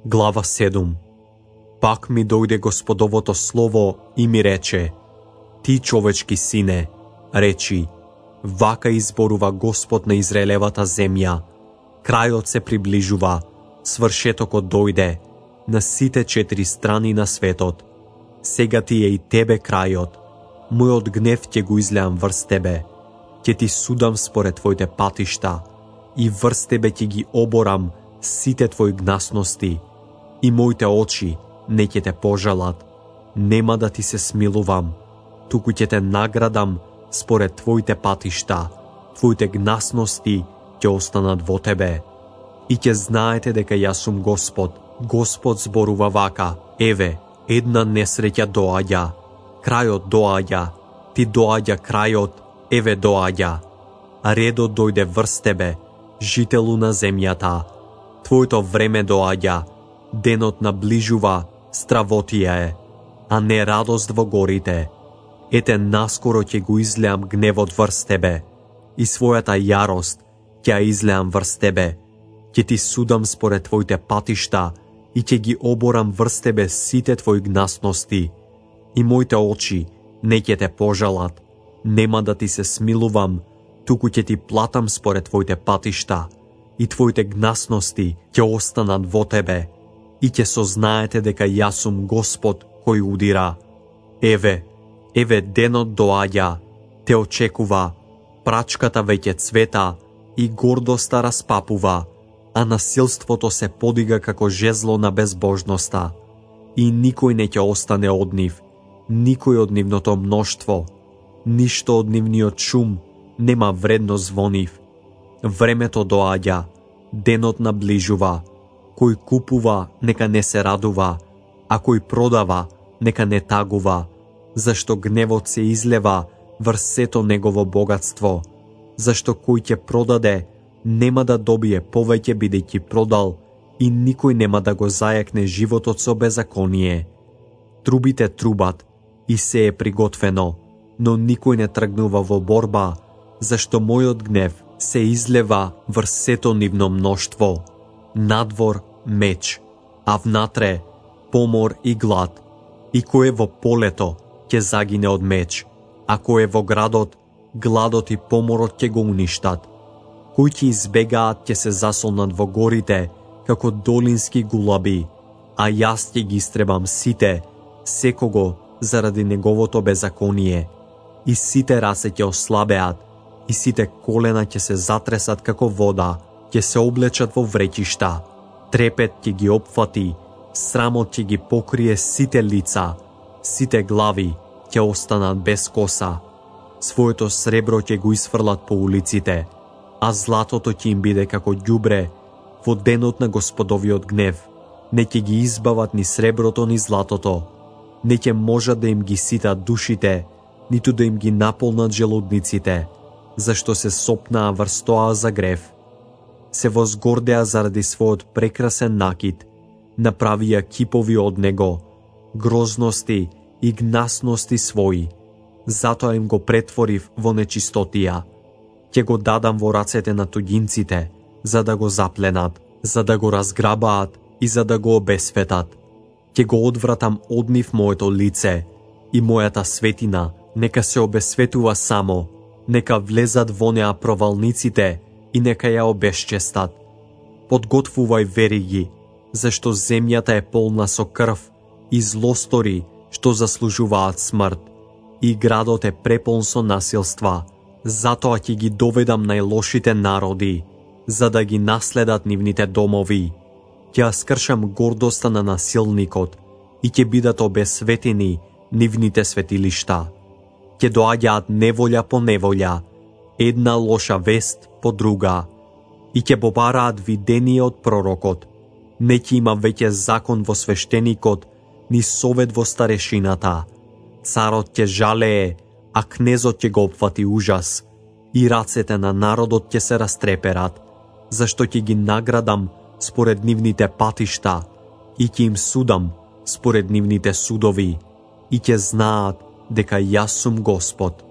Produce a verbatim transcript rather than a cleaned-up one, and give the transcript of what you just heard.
Глава седум. Пак ми дојде Господовото слово и ми рече: Ти, човечки сине, речи: вака изборува Господ на Израелевата земја. Крајот се приближува, свршетокот дојде на сите четири страни на светот. Сега ти е и тебе крајот. Мојот гнев ќе го излеам врз тебе. Ќе ти судам според твоите патишта и врз тебе ќе ги оборам сите твои гнасности. И моите очи не ќе те пожалат. Нема да ти се смилувам, туку ќе те наградам според твоите патишта. Твоите гнасности ќе останат во тебе. И ќе знаете дека јас сум Господ. Господ зборува вака: еве, една несреќа доаѓа. Крајот доаѓа. Ти доаѓа крајот, еве доаѓа. А редот дојде врз тебе, жителу на земјата. Твоето време доаѓа. Денот наближува, стравотија е, а не радост во горите. Ете, наскоро ќе го излеам гневот врз тебе и својата јарост ќе ја излеам врз тебе. Ќе ти судам според твоите патишта и ќе ги оборам врз тебе сите твои гнасности. И моите очи не ќе те пожалат. Нема да ти се смилувам, туку ќе ти платам според твоите патишта и твоите гнасности ќе останат во тебе. И ќе сознаете дека јас сум Господ кој удира. Еве, еве денот доаѓа, те очекува, прачката веќе цвета и гордоста распапува, а насилството се подига како жезло на безбожноста. И никој не ќе остане од нив, никој од нивното мноштво, ништо од нивниот шум нема вредност во нив. Времето доаѓа, денот наближува. Кој купува, нека не се радува, а кој продава, нека не тагува, зашто гневот се излева врз сето негово богатство. Зашто кој ќе продаде, нема да добие повеќе бидејќи продал, и никој нема да го зајакне животот со беззаконие. Трубите трубат и се е приготвено, но никој не тргнува во борба, зашто мојот гнев се излева врз сето нивно мноштво. Надвор меч, а внатре помор и глад. И кој е во полето ќе загине од меч, а кој е во градот, гладот и поморот ќе го уништат. Кои ќе избегаат ќе се засолнат во горите како долински гулаби, а јас ќе ги истребам сите, секого заради неговото беззаконие. И сите раце ќе ослабеат, и сите колена ќе се затресат како вода, ќе се облечат во вреќишта. Трепет ќе ги опфати, срамот ќе ги покрие сите лица, сите глави ќе останат без коса. Своето сребро ќе го изфрлат по улиците, а златото ќе им биде како ѓубре во денот на Господовиот гнев. Не ќе ги избават ни среброто ни златото, не ќе можат да им ги ситат душите, ниту да им ги наполнат желудниците, зашто се сопнаа врз тоа за грев. Се возгордеа заради својот прекрасен накид, направија кипови од него, грозности и гнасности своји. Затоа им го претворив во нечистотија. Ќе го дадам во рацете на туѓинците, за да го запленат, за да го разграбаат и за да го обесветат. Ќе го одвратам од нив моето лице и мојата светина нека се обесветува само, нека влезат во неа провалниците и нека ја обесчестат. Подготвувај вериги, зашто земјата е полна со крв и злостори што заслужуваат смрт, и градот е преполн со насилства. Затоа ќе ги доведам најлошите народи, за да ги наследат нивните домови. Ќе ја скршам гордоста на насилникот и ќе бидат обесветени нивните светилишта. Ќе доаѓаат неволја по неволја, една лоша вест по друга, и ќе побараат видение од пророкот. Не ќе има веќе закон во свештеникот, ни совет во старешината. Царот ќе жалее, а кнезот ќе го опфати ужас, и рацете на народот ќе се растреперат, зашто ќе ги наградам според нивните патишта и ќе им судам според нивните судови, и ќе знаат дека јас сум Господ.